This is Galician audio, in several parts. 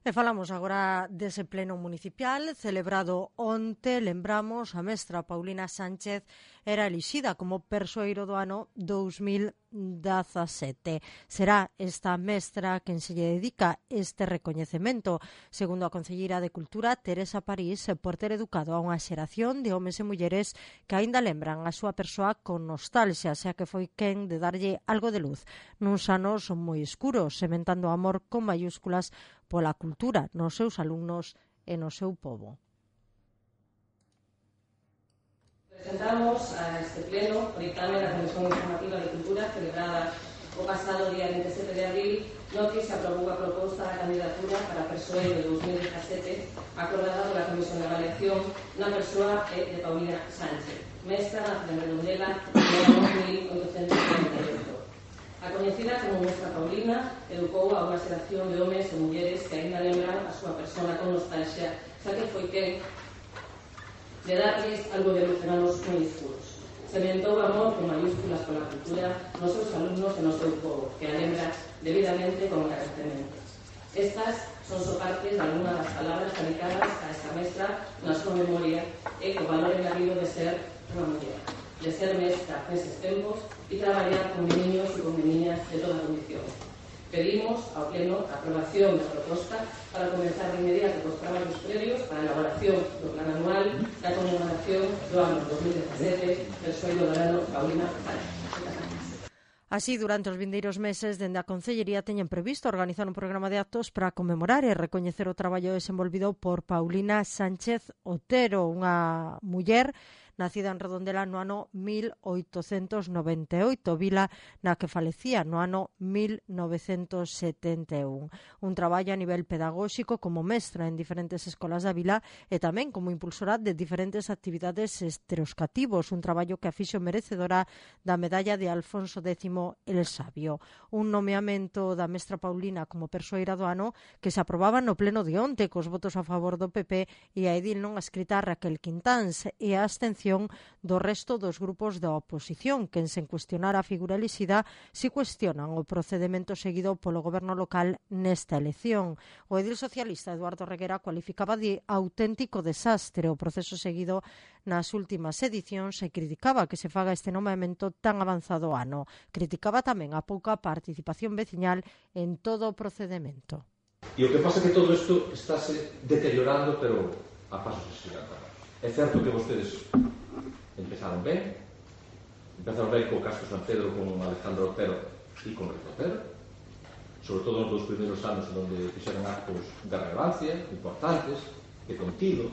E falamos agora dese pleno municipal celebrado onte. Lembramos, a mestra Paulina Sánchez era elixida como persoeiro do ano 2017. Será esta mestra quen se lle dedica este recoñecemento, segundo a concelleira de Cultura, Teresa París, por ter educado a unha xeración de homes e mulleres que aínda lembran a súa persoa con nostalgia, xa que foi quen de darlle algo de luz nuns anos moi escuros, sementando amor con mayúsculas pola cultura nos seus alumnos e no seu pobo. Presentamos a este pleno o dictamen da Comisión Informativa de Cultura celebrada o pasado día 27 de abril, no que se aprobou a proposta da candidatura para a persoeiro de 2017 acordada pola Comisión de Avaliación na persoa de Paulina Sánchez, mestra na Redondela no ano 1848. A coñecida como mestra Paulina educou a unha xeración de homes e mulleres que aínda lembran a súa persona con nostalgia, xa que foi quen de darlles algo de luz en anos moi escuros. Sementou amor con mayúsculas pola cultura nos seus alumnos e no seu povo, que a lembra debidamente con agradecemento. Estas son só partes de algunha das palabras dedicadas a esta mestra na súa memoria e co valor engadido de ser unha muller, de ser mestra neses tempos e traballar con niños e con meniñas de toda condición. Pedimos ao pleno a aprobación da proposta para comenzar de inmediato cos traballos previos para a elaboración do plan anual da conmemoración do ano 2017 persoeiro do ano Paulina Sánchez. Así, durante os vindeiros meses, dende a Concellería teñen previsto organizar un programa de actos para conmemorar e recoñecer o traballo desenvolvido por Paulina Sánchez Otero, unha muller nacida en Redondela no ano 1898, vila na que falecía no ano 1971. Un traballo a nivel pedagóxico como mestra en diferentes escolas da vila e tamén como impulsora de diferentes actividades estereoscativos, un traballo que a fixo merecedora da medalla de Alfonso X el Sabio. Un nomeamento da mestra Paulina como persoeira do ano que se aprobaba no pleno de onte cos votos a favor do PP e a edil non adscrita Raquel Quintáns e a abstención do resto dos grupos da oposición, que en sen cuestionar a figura elixida si cuestionan o procedemento seguido polo goberno local nesta elección. O edil socialista Eduardo Reguera cualificaba de auténtico desastre o proceso seguido nas últimas edicións e criticaba que se faga este nomeamento tan avanzado ano. Criticaba tamén a pouca participación veciñal en todo o procedemento. E o que pasa é que todo isto estáse deteriorando, pero a pasos gigantes. É certo que vostedes empezaron ben co Castro San Pedro, con Alejandro Otero e con Rico Otero, sobre todo nos dos primeiros anos onde fixeron actos de relevancia importantes, de contido,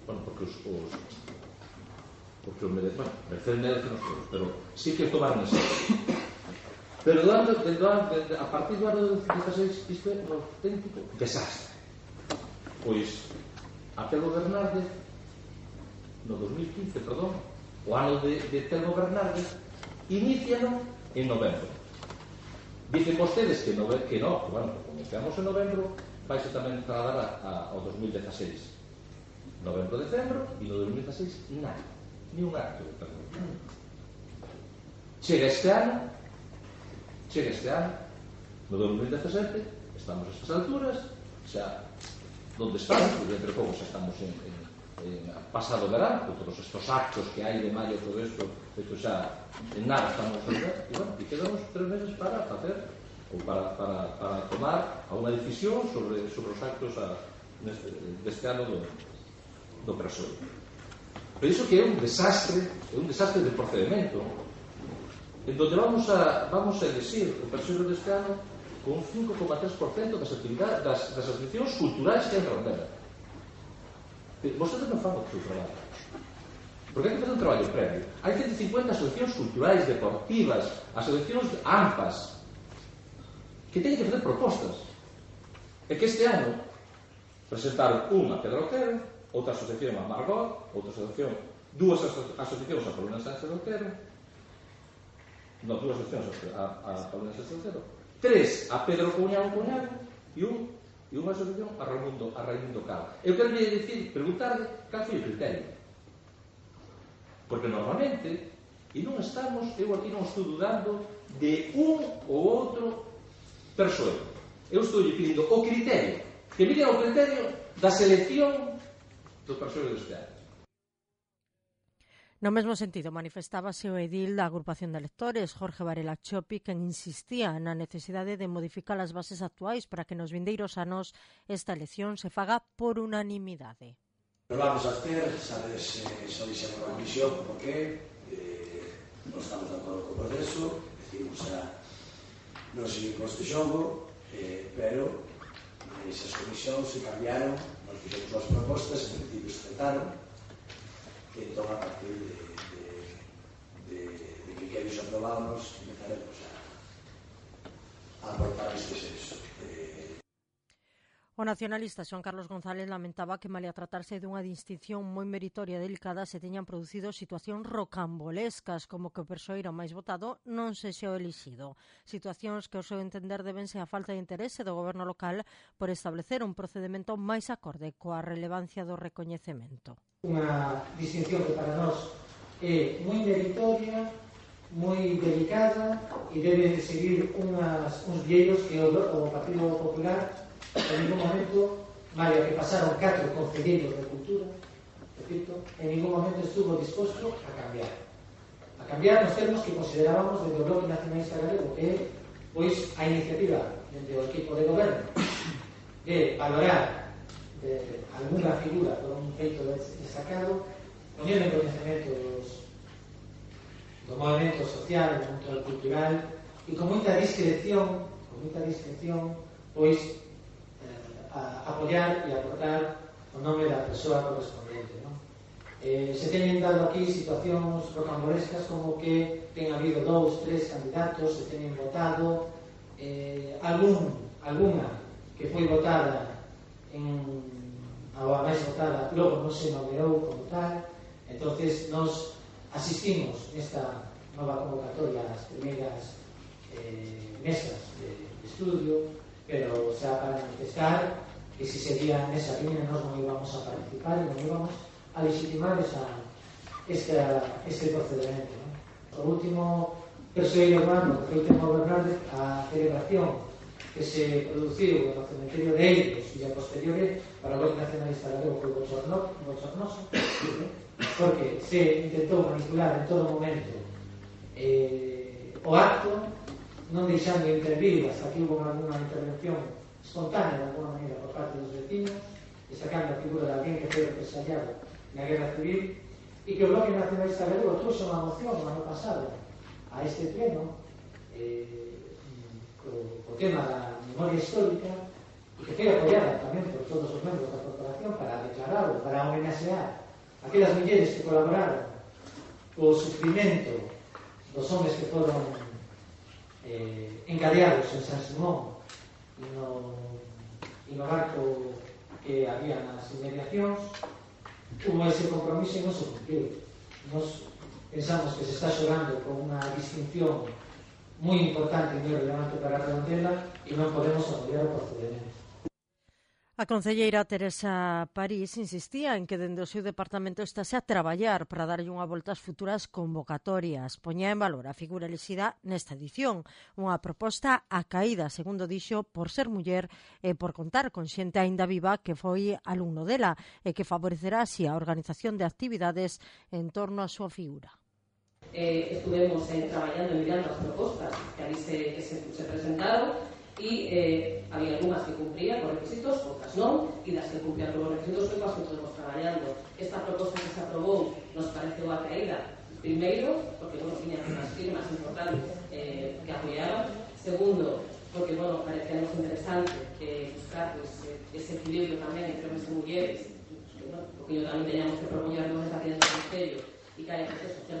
porque os merecen todos, pero sí que tomaron en serio. Pero a partir do ano 2016 isto é un auténtico desastre. Pois a Telmo Bernardes no 2015, o ano de Telmo Bernardes, iníciano en novembro. Dicen vostedes que no, bueno, comenzamos en novembro, vais tamén trasladar ao 2016. Novembro, decembro, e no 2016 nada, ni un acto de Telmo. Chega este ano, no 2017, estamos a estas alturas, xa, onde estamos, porque entre pouco xa estamos en pasado verán, con todos estos actos que hai de maio, todo isto xa en nada estamos a ver, e bueno, e quedamos 3 meses para facer ou para tomar alguna decisión sobre os actos deste ano do persoeiro. Pero iso que é un desastre de procedimento, en donde vamos a elegir o persoeiro deste ano con un 5,3% das actividades das asociacións culturais que hai en Redondela. Vostedes non fan o seu traballo, porque hai que fazer un traballo previo. Hai 150 asociacións culturais, deportivas, asociacións AMPAs que teñen que fazer propostas, e que este ano presentaron unha a Pedro Otero, outra asociación a Margot, outra asociación, dúas asociacións a Paulina Sánchez Otero, dúas asociacións a Paulina Sánchez Otero, 3 a Pedro Cuñado e unha asociación a Raimundo Cal. Eu quero preguntarle cal foi o criterio, porque normalmente eu aquí non estou dudando de un ou outro persoeiro, eu estou lle pedindo o criterio que miren o criterio da selección do persoal deste ano. No mesmo sentido, manifestábase o edil da agrupación de electores, Jorge Varela Chopi, quen insistía na necesidade de modificar as bases actuais para que nos vindeiros anos esta elección se faga por unanimidade. Nos vamos a abster, sabes, xa dixemos na comisión, porque non estamos de acordo co proceso, decidimos non seguir con este xogo, pero esas comisións se cambiaron, nos fixemos as propostas, en principio se aceptaron, e entón a partir de criterios aprobados empezaremos a aportar este senso. O nacionalista Xoán Carlos González lamentaba que, malia tratarse dunha distinción moi meritoria e delicada, se teñan producido situacións rocambolescas, como que o persoeiro máis votado non sexa o elixido. Situacións que, ao seu entender, debense á falta de interese do goberno local por establecer un procedimento máis acorde coa relevancia do recoñecemento. Unha distinción que para nós é moi meritoria, moi delicada e debe seguir uns vieiros que o Partido Popular en ningún momento, malia que pasaron 4 concelleiros de cultura, repito, en ningún momento estuvo disposto a cambiar. A cambiar nos termos que considerábamos desde o Bloque Nacionalista Galego, que é, pois, a iniciativa dentro do equipo de goberno de valorar de alguna figura por un feito destacado, poñendo en conhecimento do movimento social, do mundo cultural, e con moita discreción, pois, apoiar e aportar o nome da persoa correspondente, non? Se teñen dado aquí situacións rocambolescas como que ten habido 2, 3 candidatos, se teñen votado alguna que foi votada a máis votada logo non se nomeou como tal. Entonces nos asistimos nesta nova convocatoria ás primeiras mesas de estudio, pero xa para manifestar que se seguía nesa línea nós non íbamos a participar e non íbamos a legitimar este procedimento, non? O último persoeiro urbano que foi o tema Bernardo, a celebración que se produciu no cementerio de Eiros e a posteriori para o Bloque Nacionalista Galego foi bochornoso, porque se intentou manipular en todo momento o acto, non deixando intervir hasta que hubo alguna intervención espontánea de alguna maneira por parte dos vecinos, destacando a figura de alguén que foi represaliado na Guerra Civil, e que o Bloque Nacionalista Galego trouxe unha moción no ano pasado a este pleno o tema da memoria histórica, e que foi apoiada tamén por todos os membros da corporación para declararlo, para homenaxear aquelas mulleres que colaboraron co sufrimento dos homes que foron encadeados en San Simón e no barco que había nas inmediacións. Hubo ese compromiso e non se cumpliu. Nos pensamos que se está xogando con unha distinción moi importante e moi relevante para a Redondela e non podemos apoiar o procedimento. A concelleira Teresa París insistía en que dende o seu departamento estase a traballar para darlle unha volta ás futuras convocatorias. Poñía en valor a figura elixida nesta edición, unha proposta acaída, segundo dixo, por ser muller e por contar con xente aínda viva que foi alumno dela e que favorecerá así a organización de actividades en torno á súa figura. Estuvemos traballando e mirando as propostas que ali se presentaron e había algunhas que cumplían os requisitos, outras non, e das que cumplían os requisitos foi coas que estuvemos traballando. Esta proposta que se aprobou nos pareceu a caída, primeiro, porque tiña unhas firmas importantes que apoiaban, segundo, porque parecíamos interesante buscar ese equilibrio tamén entre homes e mulleres, porque tamén teníamos que propoñernos esa tienda do Concello e que haya certo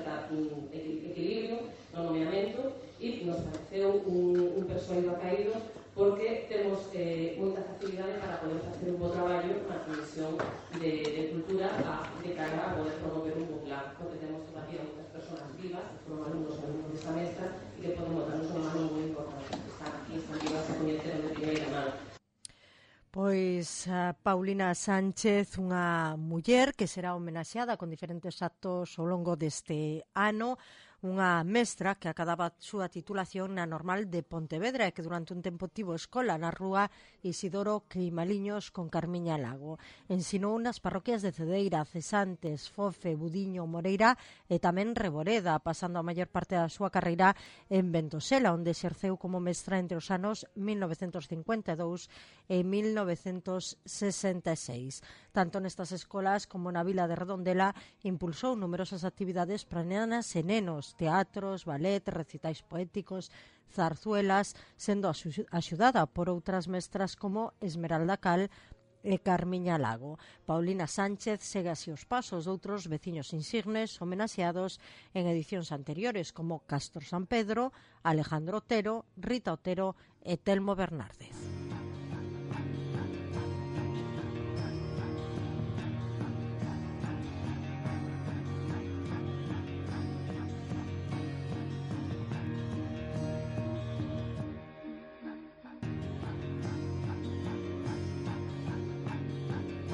equilibrio no nomeamento, e nos pareceu un persoeiro acaído porque temos moita facilidade para poder facer un bo traballo na Comisión de Cultura de cara a poder promover un bo plan, porque temos todavía moitas persoas vivas que foron alumnos desta mestra e que podemos darnos unha mano moi importante, que están aquí, están vivas a coñecer de primeira mano. Pois Paulina Sánchez, unha muller que será homenaxeada con diferentes actos ao longo deste ano, unha mestra que acababa a súa titulación na Normal de Pontevedra e que durante un tempo tivo escola na rúa Isidoro Queimaliños con Carmiña Lago. Ensinou nas parroquias de Cedeira, Cesantes, Fofe, Budiño, Moreira e tamén Reboreda, pasando a maior parte da súa carreira en Ventosela, onde exerceu como mestra entre os anos 1952 e 1966. Tanto nestas escolas como na vila de Redondela impulsou numerosas actividades para nenas e nenos, teatros, ballet, recitais poéticos, zarzuelas, sendo axudada por outras mestras como Esmeralda Cal e Carmiña Lago. Paulina Sánchez segue así os pasos de outros veciños insignes homenaxeados en edicións anteriores como Castro San Pedro, Alejandro Otero, Rita Otero e Telmo Bernárdez.